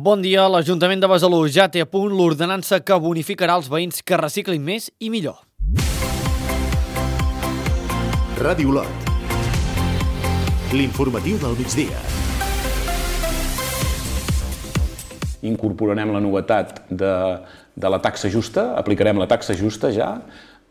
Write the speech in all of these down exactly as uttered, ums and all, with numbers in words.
Bon dia. L'Ajuntament de Besalú ja té a punt l'ordenança que bonificarà els veïns que reciclin més i millor. Ràdio Lot. L'informatiu del migdia. Incorporarem la novetat de, de la taxa justa, aplicarem la taxa justa ja,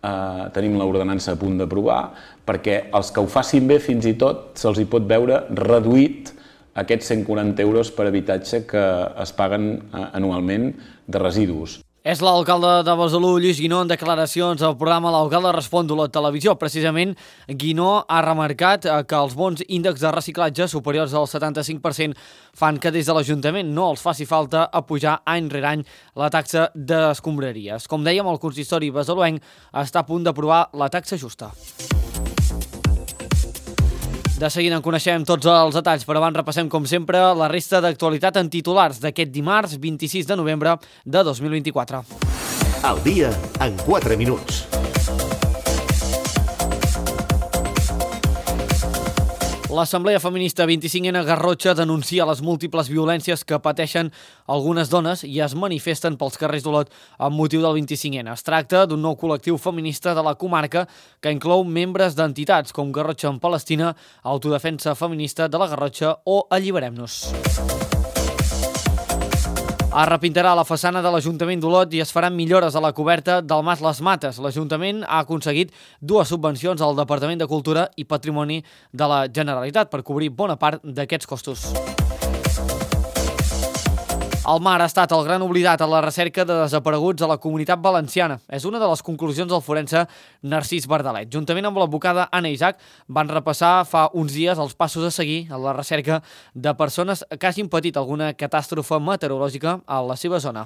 eh, tenim l'ordenança a punt d'aprovar, perquè els que ho facin bé fins i tot se'ls hi pot veure reduït aquests cent quaranta euros per habitatge que es paguen anualment de residus. És l'alcalde de Besalú, Lluís Guinó, en declaracions al programa L'Alcalde Respon de la televisió. Precisament, Guinó ha remarcat que els bons índexs de reciclatge superiors al setanta-cinc per cent fan que des de l'Ajuntament no els faci falta apujar any rere any la taxa d'escombraries. Com dèiem, el consistori besaluenc està a punt d'aprovar la taxa justa. De seguida en coneixem tots els detalls, però abans repassem, com sempre, la resta d'actualitat en titulars d'aquest dimarts vint-i-sis de novembre de dos mil vint-i-quatre. El dia en quatre minuts. L'Assemblea Feminista vint-i-cinc ena Garrotxa denuncia les múltiples violències que pateixen algunes dones i es manifesten pels carrers d'Olot amb motiu del vint-i-cinc ena. Es tracta d'un nou col·lectiu feminista de la comarca que inclou membres d'entitats com Garrotxa en Palestina, Autodefensa Feminista de la Garrotxa o Alliberem-nos. Es repintarà la façana de l'Ajuntament d'Olot i es faran millores a la coberta del Mas Les Mates. L'Ajuntament ha aconseguit dues subvencions al Departament de Cultura i Patrimoni de la Generalitat per cobrir bona part d'aquests costos. El mar ha estat el gran oblidat a la recerca de desapareguts a la Comunitat Valenciana. És una de les conclusions del forense Narcís Bardalet. Juntament amb l'advocada Anna Isaac van repassar fa uns dies els passos a seguir en la recerca de persones que hagin patit alguna catàstrofe meteorològica a la seva zona.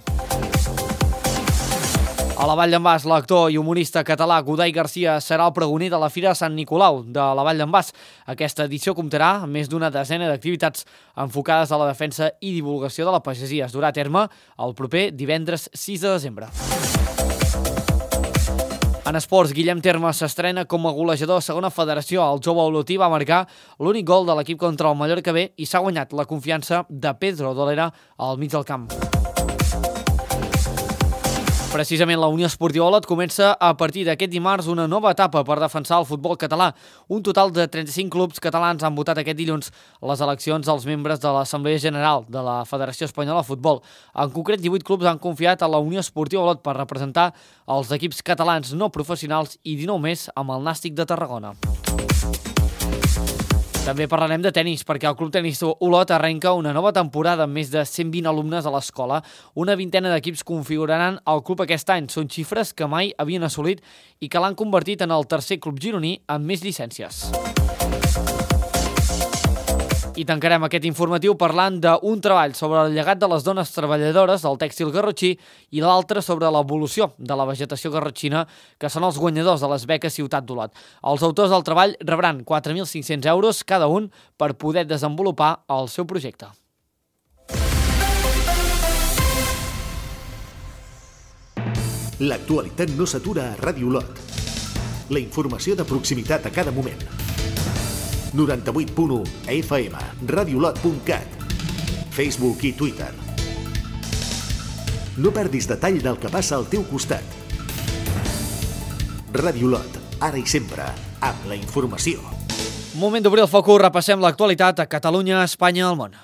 A la Vall d'en Bas, l'actor i humorista català Godai Garcia serà el pregoner de la Fira Sant Nicolau de la Vall d'en Bas. Aquesta edició comptarà amb més d'una desena d'activitats enfocades a la defensa i divulgació de la pagesia. Es durà a terme el proper divendres sis de desembre. En esports, Guillem Termes s'estrena com a golejador a segona federació. El jove olotí va marcar l'únic gol de l'equip contra el Mallorca B i s'ha guanyat la confiança de Pedro Dolera al mig del camp. Precisament la Unió Esportiva Olot comença a partir d'aquest dimarts una nova etapa per defensar el futbol català. Un total de trenta-cinc clubs catalans han votat aquest dilluns les eleccions dels membres de l'Assemblea General de la Federació Espanyola de Futbol. En concret, divuit clubs han confiat a la Unió Esportiva Olot per representar els equips catalans no professionals i dinou més amb el Nàstic de Tarragona. També parlarem de tenis, perquè el Club Tenis Olot arrenca una nova temporada amb més de cent vint alumnes a l'escola. Una vintena d'equips configuraran el club aquest any. Són xifres que mai havien assolit i que l'han convertit en el tercer club gironí amb més llicències. I tancarem aquest informatiu parlant d'un treball sobre el llegat de les dones treballadores del tèxtil garrotxí i l'altre sobre l'evolució de la vegetació garrotxina, que són els guanyadors de les beques Ciutat d'Olot. Els autors del treball rebran quatre mil cinc-cents euros cada un per poder desenvolupar el seu projecte. L'actualitat no s'atura a Ràdio Lot. La informació de proximitat a cada moment. noranta-vuit punt u F M, radiolot punt cat, Facebook i Twitter. No perdis detall del que passa al teu costat. Ràdio Lot, ara i sempre, amb la informació. Moment d'obrir el focus, repassem l'actualitat a Catalunya, Espanya i el món.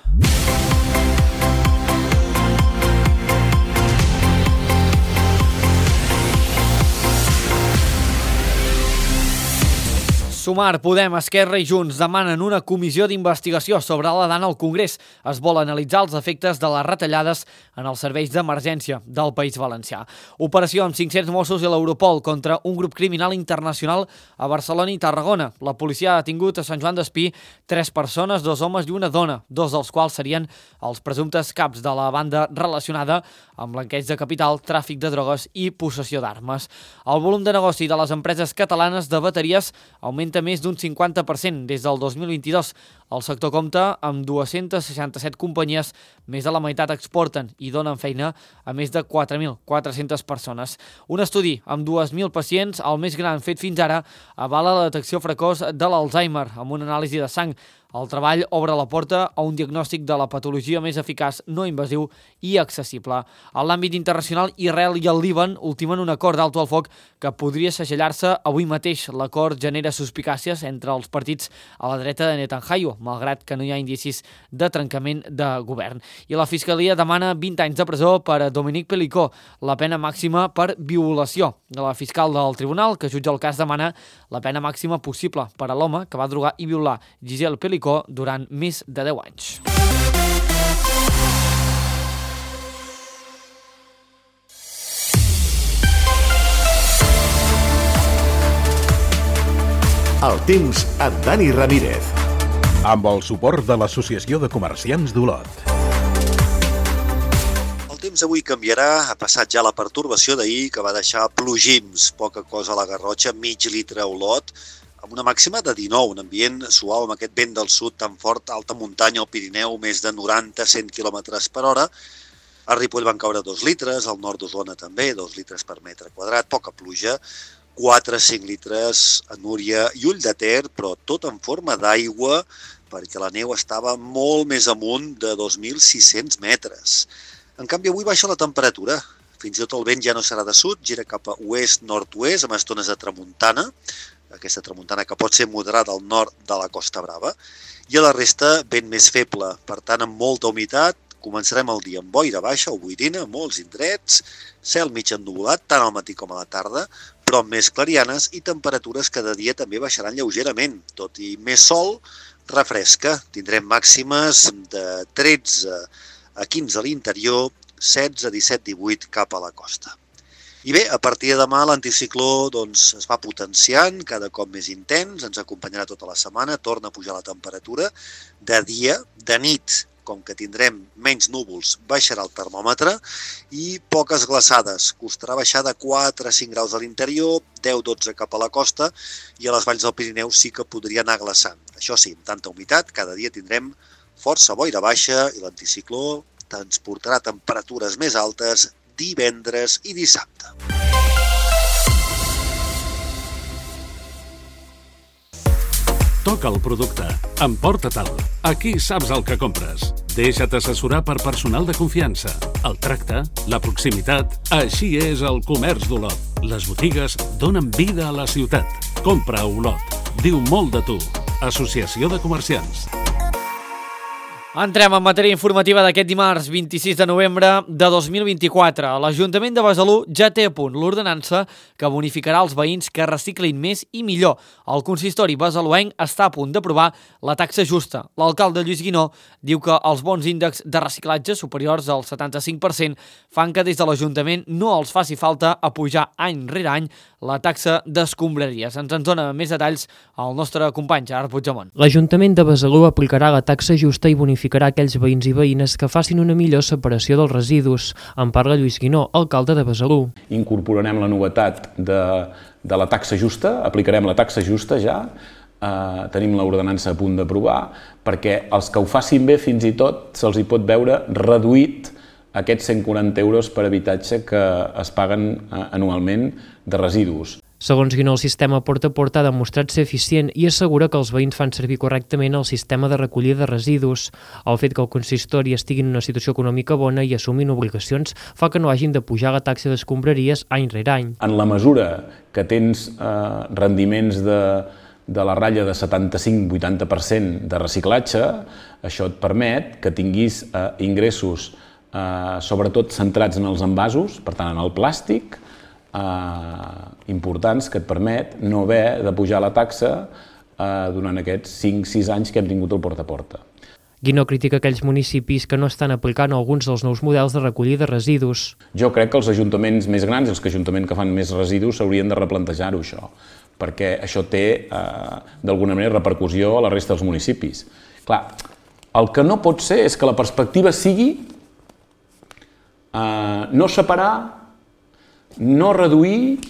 Sumar, Podem, Esquerra i Junts demanen una comissió d'investigació sobre la dana al Congrés. Es vol analitzar els efectes de les retallades en els serveis d'emergència del País Valencià. Operació amb cinc-cents Mossos i l'Europol contra un grup criminal internacional a Barcelona i Tarragona. La policia ha detingut a Sant Joan d'Espí tres persones, dos homes i una dona, dos dels quals serien els presumptes caps de la banda relacionada amb blanqueig de capital, tràfic de drogues i possessió d'armes. El volum de negoci de les empreses catalanes de bateries augmenta més d'un cinquanta per cent des del dos mil vint-i-dos. El sector compta amb dues-centes seixanta-set companyies, més de la meitat exporten i donen feina a més de quatre mil quatre-centes persones. Un estudi amb dos mil pacients, el més gran fet fins ara, avala la detecció precoç de l'Alzheimer amb una anàlisi de sang. El treball obre la porta a un diagnòstic de la patologia més eficaç, no invasiu i accessible. En l'àmbit internacional, Israel i el Líban ultimen un acord d'alto al foc que podria segellar-se avui mateix. L'acord genera suspicàcies entre els partits a la dreta de Netanyahu, malgrat que no hi ha indicis de trencament de govern. I la Fiscalia demana vint anys de presó per a Dominique Pelicot, la pena màxima per violació. La fiscal del tribunal que jutja el cas demana la pena màxima possible per a l'home que va drogar i violar Gisèle Pelicot durant més de deu anys. El temps amb Dani Ramírez. Amb el suport de l'Associació de Comerciants d'Olot. El temps avui canviarà, ha passat ja la pertorbació d'ahir que va deixar plogims, poca cosa a la Garrotxa, mig litre a Olot, amb una màxima de dinou, un ambient suau amb aquest vent del sud tan fort, alta muntanya al Pirineu, més de noranta a cent quilòmetres per hora. A Ripoll van caure dos litres, al nord d'Osona també, dos litres per metre quadrat, poca pluja, quatre a cinc litres a Núria i Ull de Ter, però tot en forma d'aigua, perquè la neu estava molt més amunt de dos mil sis-cents metres. En canvi, avui baixa la temperatura. Fins i tot el vent ja no serà de sud, gira cap a oest-nord-oest, amb estones de tramuntana, aquesta tramuntana que pot ser moderada al nord de la Costa Brava, i a la resta vent més feble, per tant amb molta humitat. Començarem el dia amb boira baixa o boirina, molts indrets, cel mig ennuvolat, tant al matí com a la tarda, però amb més clarianes i temperatures que de dia també baixaran lleugerament. Tot i més sol, refresca. Tindrem màximes de tretze a quinze a l'interior, setze, disset, divuit cap a la costa. I bé, a partir de demà l'anticicló doncs, es va potenciant, cada cop més intens, ens acompanyarà tota la setmana, torna a pujar la temperatura. De dia, de nit, com que tindrem menys núvols, baixarà el termòmetre i poques glaçades. Costarà baixar de quatre a cinc graus a l'interior, deu a dotze cap a la costa i a les valls del Pirineu sí que podria anar glaçant. Això sí, amb tanta humitat, cada dia tindrem força boira baixa i l'anticicló transportarà temperatures més altes divendres i dissabte. Toca el producte, emporta-te'l. Aquí saps el que compres. Deixa't assessorar per personal de confiança. El tracte, la proximitat, així és el comerç d'Olot. Les botigues donen vida a la ciutat. Compra a Olot. Diu molt de tu. Associació de Comerciants. Entrem en matèria informativa d'aquest dimarts vint-i-sis de novembre de dos mil vint-i-quatre. L'Ajuntament de Besalú ja té a punt l'ordenança que bonificarà els veïns que reciclin més i millor. El consistori besaluenc està a punt d'aprovar la taxa justa. L'alcalde Lluís Guinó diu que els bons índexs de reciclatge superiors al setanta-cinc per cent fan que des de l'Ajuntament no els faci falta apujar any rere any la taxa d'escombraries. Ens en dona més detalls el nostre company Gerard Puigdemont. L'Ajuntament de Besalú aplicarà la taxa justa i bonificarà bonificarà aquells veïns i veïnes que facin una millor separació dels residus. En parla Lluís Guinó, alcalde de Besalú. Incorporarem la novetat de, de la taxa justa, aplicarem la taxa justa ja, eh, tenim l'ordenança a punt d'aprovar, perquè els que ho facin bé fins i tot se'ls hi pot veure reduït aquests cent quaranta euros per habitatge que es paguen eh, anualment de residus. Segons Guinó, el sistema porta a porta ha demostrat ser eficient i assegura que els veïns fan servir correctament el sistema de recollida de residus. El fet que el consistori estigui en una situació econòmica bona i assumin obligacions fa que no hagin de pujar la taxa d'escombraries any rere any. En la mesura que tens eh, rendiments de, de la ratlla de setanta-cinc a vuitanta per cent de reciclatge, això et permet que tinguis eh, ingressos eh, sobretot centrats en els envasos, per tant en el plàstic, Uh, importants que et permet no haver de pujar la taxa uh, durant aquests cinc sis anys que hem tingut el porta a porta. Guinó critica aquells municipis que no estan aplicant alguns dels nous models de recollida de residus. Jo crec que els ajuntaments més grans, els que ajuntaments que fan més residus, s'haurien de replantejar-ho això, perquè això té uh, d'alguna manera repercussió a la resta dels municipis. Clar, el que no pot ser és que la perspectiva sigui uh, no separar, no reduir,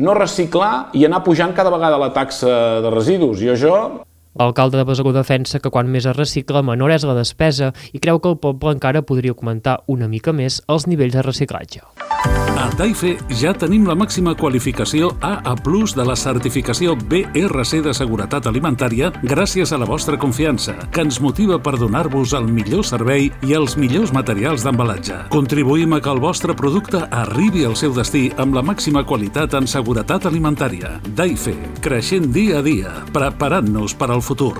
no reciclar i anar pujant cada vegada la taxa de residus. I això... L'alcalde de Besalú defensa que quan més es recicla, menor és la despesa i creu que el poble encara podria augmentar una mica més els nivells de reciclatge. A Daife ja tenim la màxima qualificació A A plus de la certificació B R C de seguretat alimentària gràcies a la vostra confiança, que ens motiva per donar-vos el millor servei i els millors materials d'embalatge. Contribuïm a que el vostre producte arribi al seu destí amb la màxima qualitat en seguretat alimentària. Daife, creixent dia a dia, preparant-nos per al futur.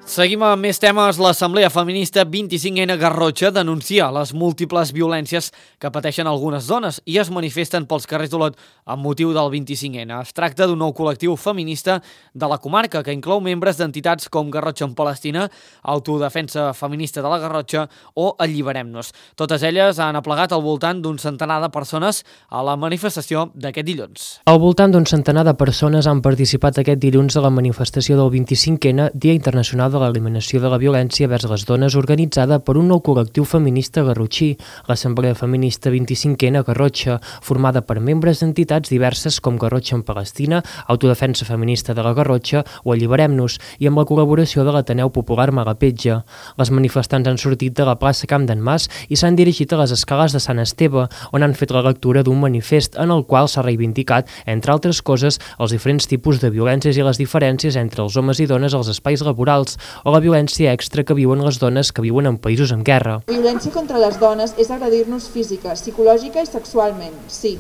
Seguim amb més temes. L'Assemblea Feminista vint-i-cinc ena Garrotxa denuncia les múltiples violències que pateixen algunes dones i es manifesten pels carrers d'Olot amb motiu del vint-i-cinc ena. Es tracta d'un nou col·lectiu feminista de la comarca que inclou membres d'entitats com Garrotxa en Palestina, Autodefensa Feminista de la Garrotxa o Alliberem-nos. Totes elles han aplegat al voltant d'un centenar de persones a la manifestació d'aquest dilluns. Al voltant d'un centenar de persones han participat aquest dilluns a la manifestació del vint-i-cinc ena, Dia Internacional de l'Eliminació de la Violència vers les Dones, organitzada per un nou col·lectiu feminista garrotxí, l'Assemblea Feminista vint-i-cinc ena Garrotxa, formada per membres d'entitats diverses com Garrotxa en Palestina, Autodefensa Feminista de la Garrotxa o Alliberem-nos, i amb la col·laboració de l'Ateneu Popular Malapetja. Les manifestants han sortit de la plaça Camp d'en Mas i s'han dirigit a les escales de Sant Esteve, on han fet la lectura d'un manifest en el qual s'ha reivindicat, entre altres coses, els diferents tipus de violències i les diferències entre els homes i dones als espais laborals, o la violència extra que viuen les dones que viuen en països en guerra. La violència contra les dones és agredir-nos física, psicològica i sexualment, sí,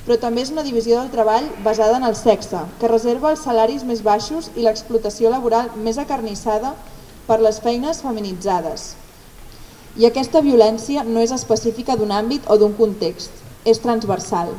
però també és una divisió del treball basada en el sexe, que reserva els salaris més baixos i l'explotació laboral més acarnissada per les feines feminitzades. I aquesta violència no és específica d'un àmbit o d'un context, és transversal.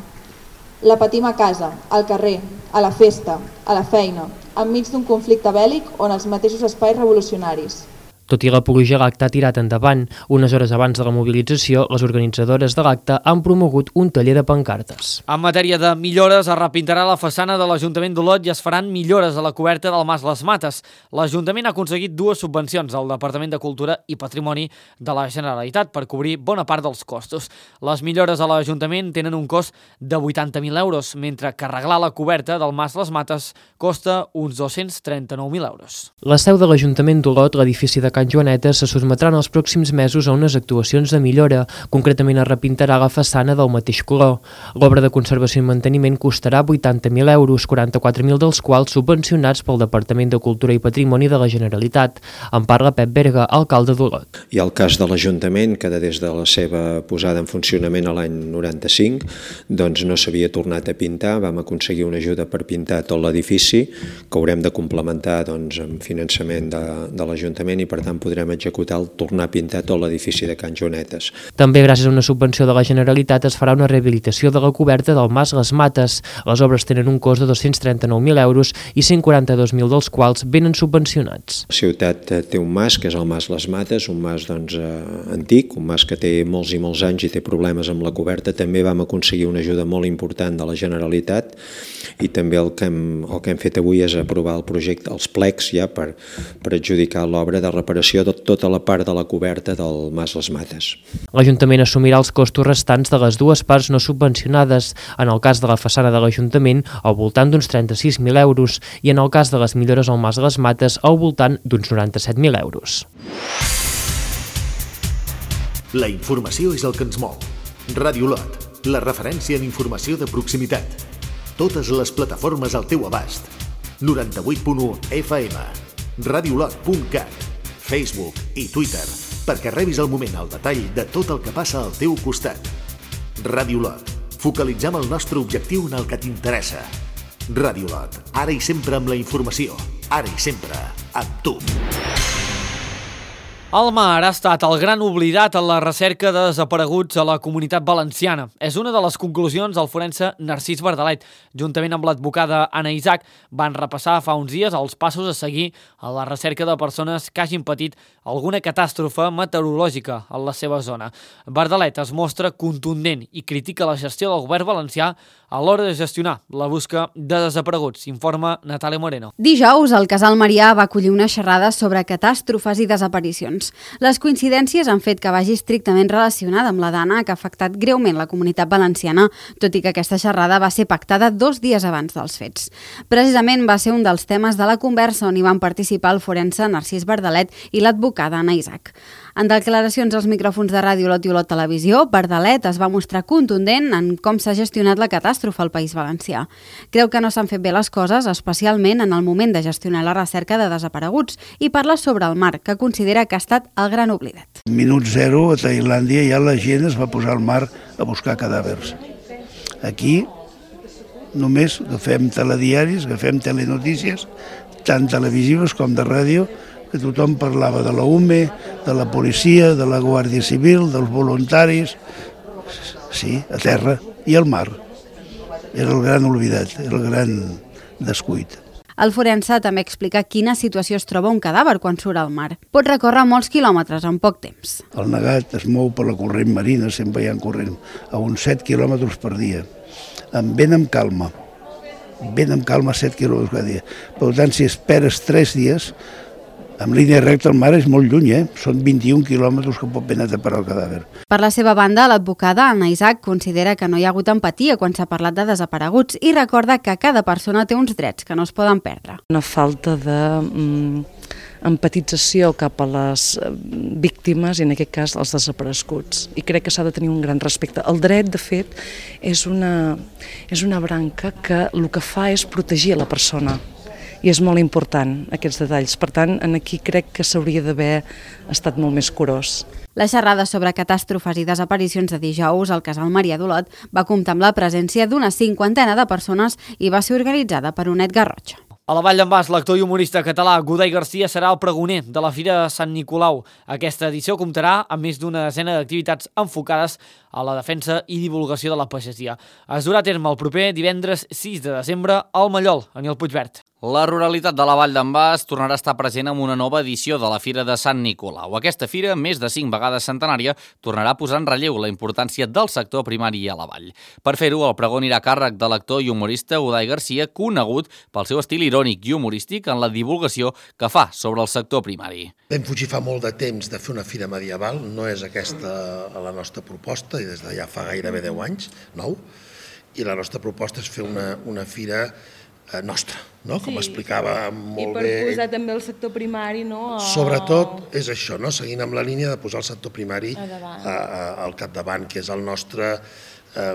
La patim a casa, al carrer, a la festa, a la feina, enmig d'un conflicte bèl·lic o en els mateixos espais revolucionaris. Tot i l'apologia a l'acte ha tirat endavant, unes hores abans de la mobilització, les organitzadores de l'acte han promogut un taller de pancartes. En matèria de millores, es repintarà la façana de l'Ajuntament d'Olot i es faran millores a la coberta del Mas Les Mates. L'Ajuntament ha aconseguit dues subvencions al Departament de Cultura i Patrimoni de la Generalitat per cobrir bona part dels costos. Les millores a l'Ajuntament tenen un cost de vuitanta mil euros, mentre que arreglar la coberta del Mas Les Mates costa uns dos-cents trenta-nou mil euros. La seu de l'Ajuntament d'Olot, l'edifici de Can Joanetes, se sotmetran els pròxims mesos a unes actuacions de millora. Concretament es repintarà la façana del mateix color. L'obra de conservació i manteniment costarà vuitanta mil euros, quaranta-quatre mil dels quals subvencionats pel Departament de Cultura i Patrimoni de la Generalitat. En parla Pep Berga, alcalde d'Olot. I el cas de l'Ajuntament, que des de la seva posada en funcionament a l'any noranta-cinc doncs no s'havia tornat a pintar. Vam aconseguir una ajuda per pintar tot l'edifici, que haurem de complementar doncs, amb finançament de, de l'Ajuntament, i per tant podrem executar el tornar a pintar tot l'edifici de Can Joanetes. També gràcies a una subvenció de la Generalitat es farà una rehabilitació de la coberta del Mas Les Mates. Les obres tenen un cost de dos-cents trenta-nou mil euros i cent quaranta-dos mil dels quals venen subvencionats. La ciutat té un mas, que és el Mas Les Mates, un mas doncs, eh, antic, un mas que té molts i molts anys i té problemes amb la coberta. També vam aconseguir una ajuda molt important de la Generalitat i també el que hem, el que hem fet avui és aprovar el projecte, els plecs ja per, per adjudicar l'obra de reparació de tota la part de la coberta del Mas Les Mates. L'Ajuntament assumirà els costos restants de les dues parts no subvencionades, en el cas de la façana de l'Ajuntament al voltant d'uns trenta-sis mil euros i en el cas de les millores al Mas Les Mates al voltant d'uns noranta-set mil euros. La informació és el que ens mou. Ràdio Olot, la referència en informació de proximitat. Totes les plataformes al teu abast. noranta-vuit punt u F M, radiolot punt cat, Facebook i Twitter, perquè rebis al moment el detall de tot el que passa al teu costat. Ràdio Olot, focalitzem el nostre objectiu en el que t'interessa. Ràdio Olot, ara i sempre amb la informació, ara i sempre amb tu. El mar ha estat el gran oblidat en la recerca de desapareguts a la Comunitat Valenciana. És una de les conclusions del forense Narcís Bardalet. Juntament amb l'advocada Anna Isaac van repassar fa uns dies els passos a seguir a la recerca de persones que hagin patit alguna catàstrofe meteorològica en la seva zona. Bardalet es mostra contundent i critica la gestió del govern valencià a l'hora de gestionar la busca de desapareguts, informa Natàlia Moreno. Dijous, el Casal Marià va acollir una xerrada sobre catàstrofes i desaparicions. Les coincidències han fet que vagi estrictament relacionada amb la dana que ha afectat greument la Comunitat Valenciana, tot i que aquesta xerrada va ser pactada dos dies abans dels fets. Precisament va ser un dels temes de la conversa on hi van participar el forense Narcís Bardalet i l'advocada Anna Isaac. En declaracions als micròfons de Ràdio Olot i Olot Televisió, Verdalet es va mostrar contundent en com s'ha gestionat la catàstrofe al País Valencià. Creu que no s'han fet bé les coses, especialment en el moment de gestionar la recerca de desapareguts, i parla sobre el mar, que considera que ha estat el gran oblidat. Minut zero, a Tailàndia ja la gent es va posar al mar a buscar cadàvers. Aquí només agafem telediaris, agafem telenotícies, tant televisives com de ràdio, que tothom parlava de la U M E, de la policia, de la Guàrdia Civil, dels voluntaris, sí, a terra, i al mar. Era el gran oblidat, era el gran descuit. El forense també explica quina situació es troba un cadàver quan surt al mar. Pot recórrer molts quilòmetres en poc temps. El negat es mou per la corrent marina, sempre hi ha corrent, a uns set quilòmetres per dia, amb vent amb calma. Vent amb calma set quilòmetres cada dia. Per tant, si esperes tres dies, en línia recta el mar és molt lluny, eh? Són vint-i-un quilòmetres que pot ben ataperar el cadàver. Per la seva banda, l'advocada Anna Isaac considera que no hi ha hagut empatia quan s'ha parlat de desapareguts i recorda que cada persona té uns drets que no es poden perdre. Una falta de mm, empatització cap a les víctimes i en aquest cas els desapareguts. I crec que s'ha de tenir un gran respecte. El dret, de fet, és una, és una branca que el que fa és protegir la persona. I és molt important, aquests detalls. Per tant, aquí crec que s'hauria d'haver estat molt més curós. La xerrada sobre catàstrofes i desaparicions de dijous al Casal Marià d'Olot va comptar amb la presència d'una cinquantena de persones i va ser organitzada per Onet Garrotxa. A la Vall d'en Bas, l'actor i humorista català Godai Garcia serà el pregoner de la Fira de Sant Nicolau. Aquesta edició comptarà amb més d'una desena d'activitats enfocades a la defensa i divulgació de la pagesia. Es durà a terme el proper divendres sis de desembre al Mallol, a Nil Puigverd. La ruralitat de la Vall d'en Bas tornarà a estar present en una nova edició de la Fira de Sant Nicolau. Aquesta fira, més de cinc vegades centenària, tornarà a posar en relleu la importància del sector primari a la vall. Per fer-ho, el pregó anirà a càrrec de l'actor i humorista Godai Garcia, conegut pel seu estil irònic i humorístic en la divulgació que fa sobre el sector primari. Vam fugir fa molt de temps de fer una fira medieval, no és aquesta la nostra proposta, i des de ja fa gairebé deu anys, nou, i la nostra proposta és fer una, una fira nostra, no? Com sí, explicava molt bé. I per bé. Posar també el sector primari, no? A... Sobretot és això, no? Seguint amb la línia de posar el sector primari a a, a, al capdavant, que és el nostre... Eh,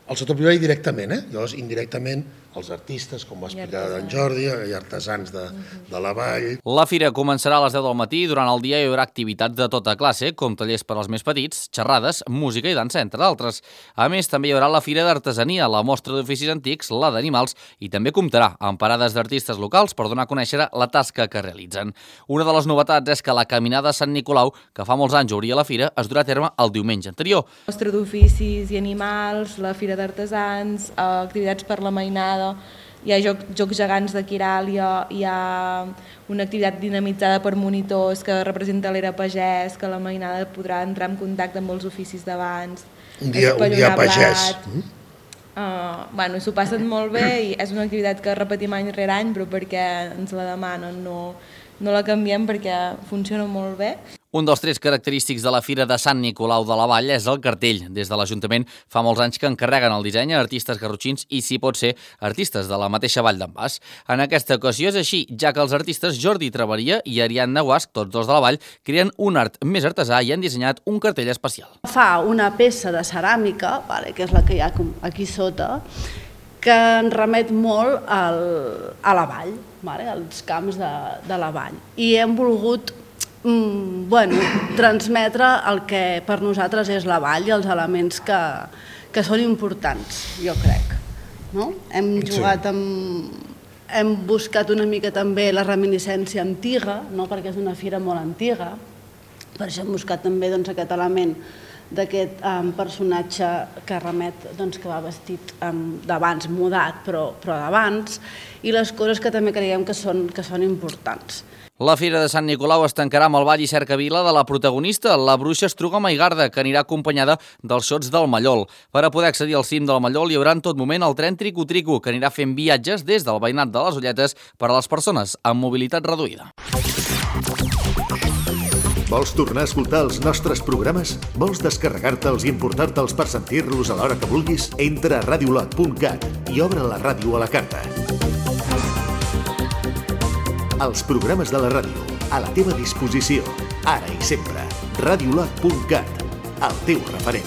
el sector primari directament, eh? Llavors, indirectament, els artistes, com va explicar en Jordi, i artesans de, de la vall. La fira començarà a les deu del matí i durant el dia hi haurà activitats de tota classe, com tallers per als més petits, xerrades, música i dansa, entre d'altres. A més, també hi haurà la fira d'artesania, la mostra d'oficis antics, la d'animals, i també comptarà amb parades d'artistes locals per donar a conèixer la tasca que realitzen. Una de les novetats és que la caminada a Sant Nicolau, que fa molts anys obria la fira, es durà a terme el diumenge anterior. Mostra d'oficis i animals, la fira d'artesans, activitats per la mainada, hi ha joc, jocs gegants de Quiràlia, hi ha una activitat dinamitzada per monitors que representa l'era pagès, que la mainada podrà entrar en contacte amb els oficis d'abans. Un dia, un dia pagès. Mm? Uh, bueno, s'ho passen molt bé i és una activitat que repetim any rere any, però perquè ens la demanen, no, no la canviem perquè funciona molt bé. Un dels trets característics de la Fira de Sant Nicolau de la Vall és el cartell. Des de l'Ajuntament fa molts anys que encarreguen el disseny a artistes garrotxins i, si pot ser, artistes de la mateixa Vall d'en Bas. En aquesta ocasió és així, ja que els artistes Jordi Traveria i Ariadna Guasc, tots dos de la Vall, creen un art més artesà i han dissenyat un cartell especial. Fa una peça de ceràmica, vale, que és la que hi ha aquí sota, que ens remet molt al, a la vall, vale, als camps de, de la vall. I hem volgut Mm, bueno, transmetre el que per nosaltres és la vall i els elements que, que són importants, jo crec. No? Hem jugat amb... Hem buscat una mica també la reminiscència antiga, no? Perquè és una fira molt antiga, per això hem buscat també doncs, aquest element d'aquest um, personatge que remet, doncs, que va vestit um, d'abans, mudat, però, però d'abans, i les coses que també creiem que són, que són importants. La Fira de Sant Nicolau es tancarà amb el ball i cercavila de la protagonista, la bruixa Estruga Maigarda, que anirà acompanyada dels xots del Mallol. Per a poder accedir al cim del Mallol hi haurà en tot moment el tren Trico-Trico, que anirà fent viatges des del veïnat de les Olletes per a les persones amb mobilitat reduïda. Vols tornar a escoltar els nostres programes? Vols descarregar-te'ls i importar-te'ls per sentir-los a l'hora que vulguis? Entra a radiolot punt cat i obre la ràdio a la carta. Els programes de la ràdio, a la teva disposició, ara i sempre. radiolot punt cat, el teu referent.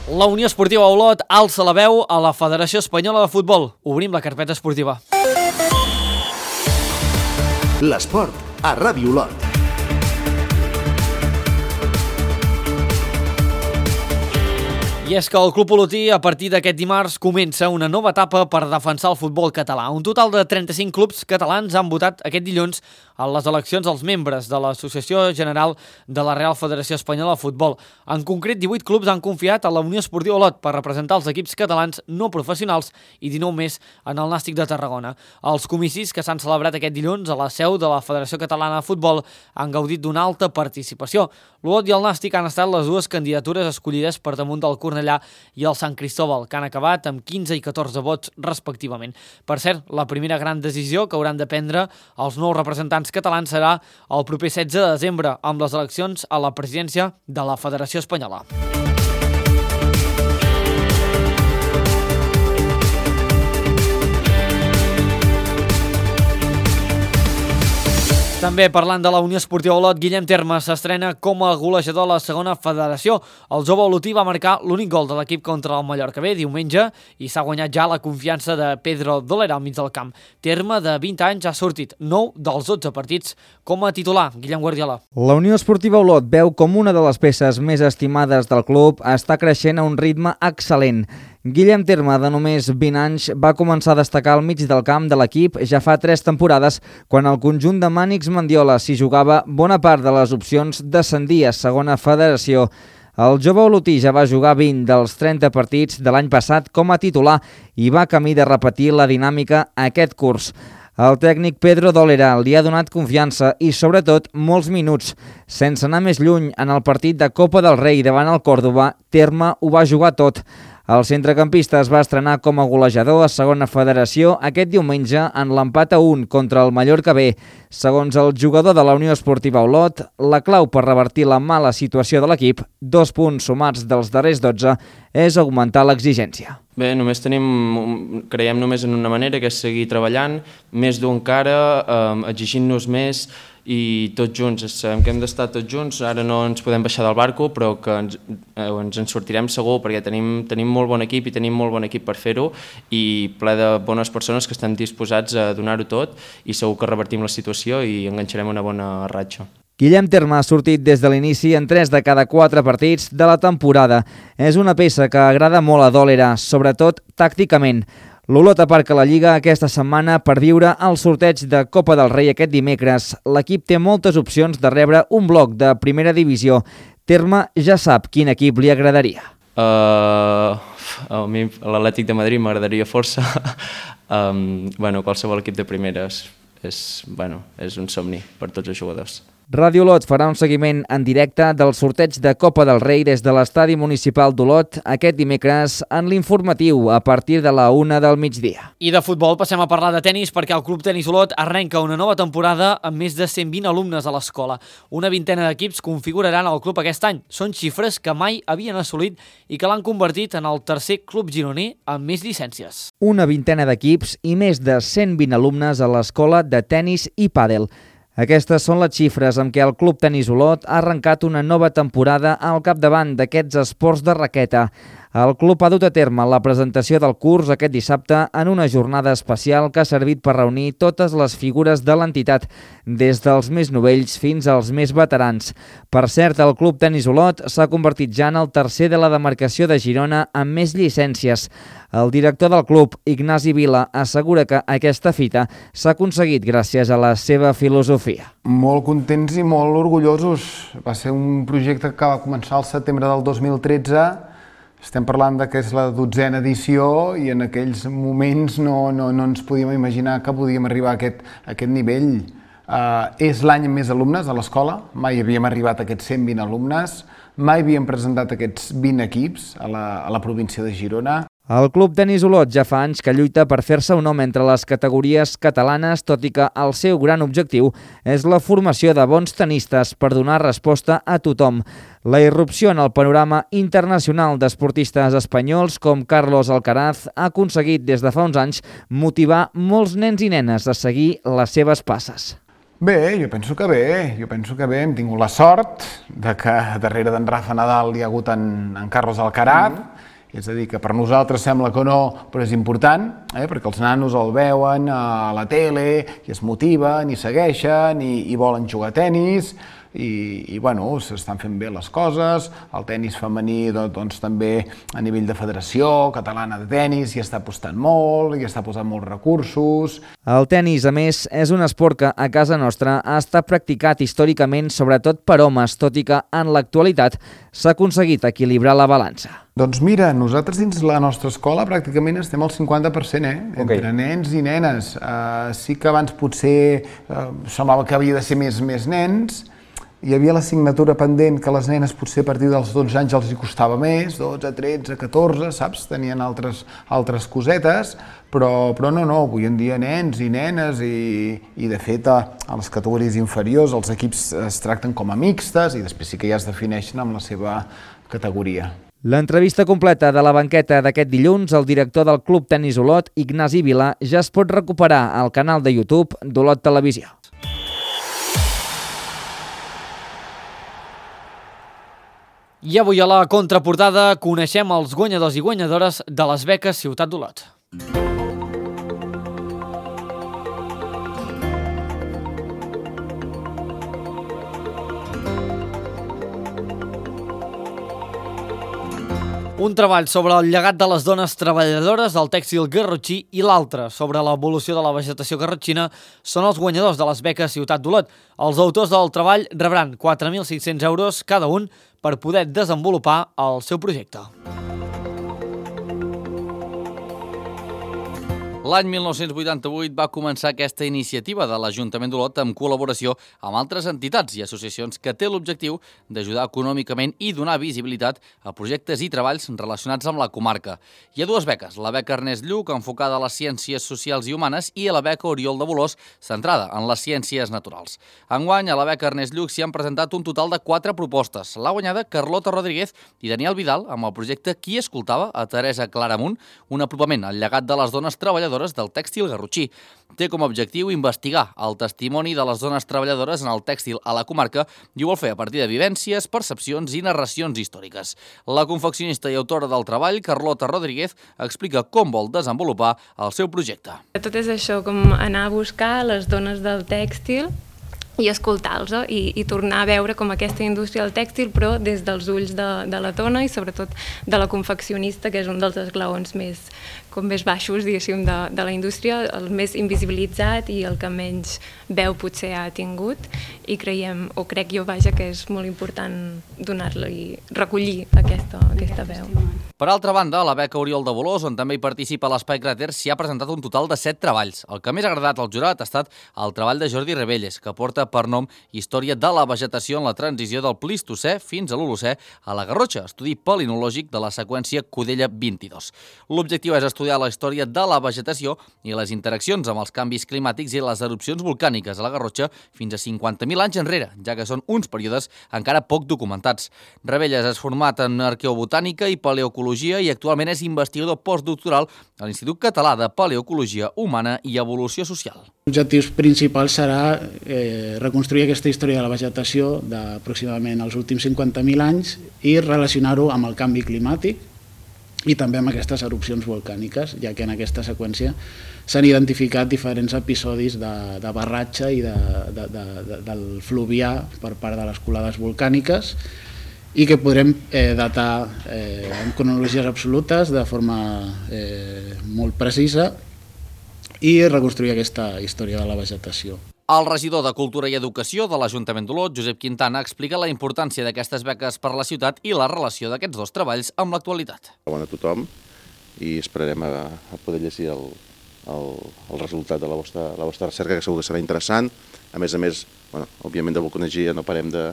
La Unió Esportiva Olot alça la veu a la Federació Espanyola de Futbol. Obrim la carpeta esportiva. L'esport a Ràdio Olot. I és que el Club Olotí, a partir d'aquest dimarts, comença una nova etapa per defensar el futbol català. Un total de trenta-cinc clubs catalans han votat aquest dilluns a les eleccions als membres de l'Associació General de la Real Federació Espanyola de Futbol. En concret, divuit clubs han confiat a la Unió Esportiva Olot per representar els equips catalans no professionals i dinou més en el Nàstic de Tarragona. Els comicis que s'han celebrat aquest dilluns a la seu de la Federació Catalana de Futbol han gaudit d'una alta participació. L'Olot i el Nàstic han estat les dues candidatures escollides per damunt del Cornellà i el Sant Cristóbal, que han acabat amb quinze i catorze vots respectivament. Per cert, la primera gran decisió que hauran de prendre els nous representants catalans serà el proper setze de desembre, amb les eleccions a la presidència de la Federació Espanyola. També parlant de la Unió Esportiva Olot, Guillem Terma s'estrena com a golejador a la segona federació. El jove olotí va marcar l'únic gol de l'equip contra el Mallorca B diumenge i s'ha guanyat ja la confiança de Pedro Dolera al mig del camp. Terma, de vint anys, ha sortit nou dels dotze partits com a titular. Guillem Guardiola. La Unió Esportiva Olot veu com una de les peces més estimades del club està creixent a un ritme excel·lent. Guillem Terma, de només vint anys, va començar a destacar al mig del camp de l'equip ja fa tres temporades, quan el conjunt de Mànix Mendiola s'hi jugava bona part de les opcions d'ascendir a segona federació. El jove olotí ja va jugar vint dels trenta partits de l'any passat com a titular i va camí de repetir la dinàmica aquest curs. El tècnic Pedro Dolera li ha donat confiança i, sobretot, molts minuts. Sense anar més lluny, en el partit de Copa del Rei davant el Còrdova, Terma ho va jugar tot. El centrecampista es va estrenar com a golejador a segona federació aquest diumenge en l'empat a un contra el Mallorca B. Segons el jugador de la Unió Esportiva Olot, la clau per revertir la mala situació de l'equip, dos punts sumats dels darrers dotze, és augmentar l'exigència. Bé, només tenim, creiem només en una manera, que és seguir treballant, més d'un cara, eh, exigint-nos més, i tots junts, sabem que hem d'estar tots junts, ara no ens podem baixar del barco, però que ens, eh, ens en sortirem segur, perquè tenim, tenim molt bon equip i tenim molt bon equip per fer-ho i ple de bones persones que estan disposats a donar-ho tot i segur que revertim la situació i enganxarem una bona ratxa. Guillem Terma ha sortit des de l'inici en tres de cada quatre partits de la temporada. És una peça que agrada molt a Dolera, sobretot tàcticament. L'Olot aparca la Lliga aquesta setmana per viure el sorteig de Copa del Rei aquest dimecres. L'equip té moltes opcions de rebre un bloc de primera divisió. Terma ja sap quin equip li agradaria. Uh, a mi l'Atlètic de Madrid m'agradaria força. um, bueno, qualsevol equip de primera és, és, bueno, és un somni per tots els jugadors. Ràdio Olot farà un seguiment en directe del sorteig de Copa del Rei des de l'estadi municipal d'Olot aquest dimecres en l'informatiu a partir de la una del migdia. I de futbol passem a parlar de tenis perquè el Club Tenis Olot arrenca una nova temporada amb més de cent vint alumnes a l'escola. Una vintena d'equips configuraran el club aquest any. Són xifres que mai havien assolit i que l'han convertit en el tercer club gironí amb més llicències. Una vintena d'equips i més de cent vint alumnes a l'escola de tenis i pàdel. Aquestes són les xifres amb què el Club Tenis Olot ha arrencat una nova temporada al capdavant d'aquests esports de raqueta. El club ha dut a terme la presentació del curs aquest dissabte en una jornada especial que ha servit per reunir totes les figures de l'entitat, des dels més novells fins als més veterans. Per cert, el Club Tenis Olot s'ha convertit ja en el tercer de la demarcació de Girona amb més llicències. El director del club, Ignasi Vila, assegura que aquesta fita s'ha aconseguit gràcies a la seva filosofia. Molt contents i molt orgullosos. Va ser un projecte que va començar al setembre del dos mil tretze. Estem parlant de que és la dotzena edició i en aquells moments no, no, no ens podíem imaginar que podíem arribar a aquest, a aquest nivell. Uh, és l'any amb més alumnes a l'escola, mai havíem arribat a aquests cent vint alumnes, mai havíem presentat aquests vint equips a la, a la província de Girona. El Club Tenis Olot ja fa anys que lluita per fer-se un nom entre les categories catalanes, tot i que el seu gran objectiu és la formació de bons tenistes per donar resposta a tothom. La irrupció en el panorama internacional d'esportistes espanyols com Carlos Alcaraz ha aconseguit des de fa uns anys motivar molts nens i nenes a seguir les seves passes. Bé, jo penso que bé, jo penso que bé. Hem tingut la sort de que darrere d'en Rafa Nadal hi ha hagut en, en Carlos Alcaraz, mm. és a dir, que per nosaltres sembla que no, però és important, eh? perquè els nanos el veuen a la tele i es motiven i segueixen i, i volen jugar a tenis, i, i bueno, s'estan fent bé les coses. El tenis femení doncs, també a nivell de Federació Catalana de Tenis hi està apostant molt, hi està posant molts recursos. El tenis, a més, és un esport que a casa nostra ha estat practicat històricament sobretot per homes, tot i que en l'actualitat s'ha aconseguit equilibrar la balança. Doncs mira, nosaltres dins la nostra escola pràcticament estem al cinquanta per cent, eh? entre okay. nens i nenes. Uh, sí que abans potser uh, semblava que havia de ser més, més nens. Hi havia l'assignatura pendent que les nenes potser a partir dels dotze anys els hi costava més, dotze, tretze, catorze, saps? Tenien altres, altres cosetes, però, però no, no, avui en dia nens i nenes i, i de fet a, a les categories inferiors els equips es tracten com a mixtes i després sí que ja es defineixen amb la seva categoria. L'entrevista completa de la banqueta d'aquest dilluns, el director del Club Tenis Olot, Ignasi Vila, ja es pot recuperar al canal de YouTube d'Olot Televisió. I avui a la contraportada coneixem els guanyadors i guanyadores de les beques Ciutat d'Olot. Un treball sobre el llegat de les dones treballadores del tèxtil garrotxí i l'altre sobre l'evolució de la vegetació garrotxina són els guanyadors de les beques Ciutat d'Olot. Els autors del treball rebran quatre mil cinc-cents euros cada un per poder desenvolupar el seu projecte. L'any mil nou-cents vuitanta-vuit va començar aquesta iniciativa de l'Ajuntament d'Olot en col·laboració amb altres entitats i associacions que té l'objectiu d'ajudar econòmicament i donar visibilitat a projectes i treballs relacionats amb la comarca. Hi ha dues beques, la beca Ernest Lluch, enfocada a les ciències socials i humanes, i la beca Oriol de Bolòs, centrada en les ciències naturals. Enguany, a la beca Ernest Lluch s'hi han presentat un total de quatre propostes. L'ha guanyada Carlota Rodríguez i Daniel Vidal amb el projecte Qui escoltava a Teresa Claramunt, un apropament al llegat de les dones treballadores del tèxtil garrotxí. Té com a objectiu investigar el testimoni de les dones treballadores en el tèxtil a la comarca i ho vol fer a partir de vivències, percepcions i narracions històriques. La confeccionista i autora del treball, Carlota Rodríguez, explica com vol desenvolupar el seu projecte. Tot és això, com anar a buscar les dones del tèxtil i escoltar-los i, i tornar a veure com aquesta indústria del tèxtil, però des dels ulls de, de la dona i sobretot de la confeccionista, que és un dels esglaons més, com més baixos, diguéssim, de, de la indústria, el més invisibilitzat i el que menys veu potser ha tingut, i creiem, o crec jo, vaja, que és molt important donar-li i recollir aquesta, aquesta veu. Per altra banda, a la beca Oriol de Bolòs, on també hi participa l'Espai Cràter, s'hi ha presentat un total de set treballs. El que més ha agradat al jurat ha estat el treball de Jordi Rebelles, que porta per nom Història de la vegetació en la transició del Plistocè fins a l'Holocè a la Garrotxa, estudi palinològic de la seqüència Codella vint-i-dos. L'objectiu és estudiar la història de la vegetació i les interaccions amb els canvis climàtics i les erupcions volcàniques a la Garrotxa fins a cinquanta mil anys enrere, ja que són uns períodes encara poc documentats. Rebelles és format en arqueobotànica i paleoecologia i actualment és investigador postdoctoral a l'Institut Català de Paleoecologia Humana i Evolució Social. L'objectiu principal serà eh, reconstruir aquesta història de la vegetació d'aproximadament els últims cinquanta mil anys i relacionar-ho amb el canvi climàtic i també amb aquestes erupcions volcàniques, ja que en aquesta seqüència s'han identificat diferents episodis de, de barratge i de, de, de, de, del fluvià per part de les colades volcàniques i que podrem eh, datar eh, amb cronologies absolutes de forma eh, molt precisa i reconstruir aquesta història de la vegetació. El regidor de Cultura i Educació de l'Ajuntament d'Olot, Josep Quintana, explica la importància d'aquestes beques per a la ciutat i la relació d'aquests dos treballs amb l'actualitat. Bona a tothom i esperarem a, a poder llegir el, el, el resultat de la vostra, la vostra recerca, que segur que serà interessant. A més a més, bueno, òbviament de vulcanologia no parem de,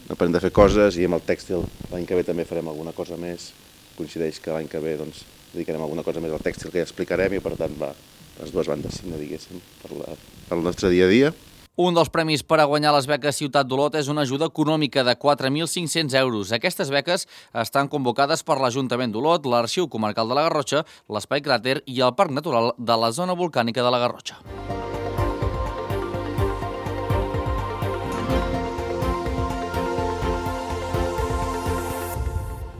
no parem de fer coses i amb el tèxtil l'any que ve també farem alguna cosa més. Coincideix que l'any que ve doncs, dedicarem alguna cosa més al tèxtil que ja explicarem i per tant va les dues bandes, no diguéssim, per, la, per el nostre dia a dia. Un dels premis per a guanyar les beques Ciutat d'Olot és una ajuda econòmica de quatre mil cinc-cents euros. Aquestes beques estan convocades per l'Ajuntament d'Olot, l'Arxiu Comarcal de la Garrotxa, l'Espai Cràter i el Parc Natural de la Zona Volcànica de la Garrotxa.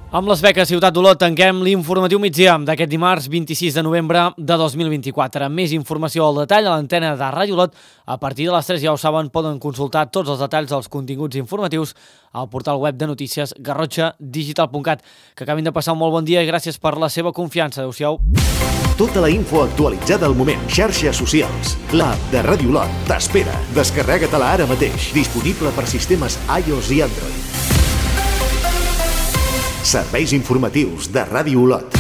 Amb les beques Ciutat d'Olot tanquem l'informatiu migdia d'aquest dimarts vint-i-sis de novembre de dos mil vint-i-quatre. Més informació al detall a l'antena de Ràdio Olot. A partir de les tres, ja ho saben, poden consultar tots els detalls dels continguts informatius al portal web de notícies garrotxa digital punt cat. Que acabin de passar un molt bon dia i gràcies per la seva confiança. Adéu-siau. Tota la info actualitzada al moment. Xarxes socials. L'app de Ràdio Olot t'espera. Descarrega-te-la ara mateix. Disponible per sistemes iOS i Android. Serveis informatius de Ràdio Olot.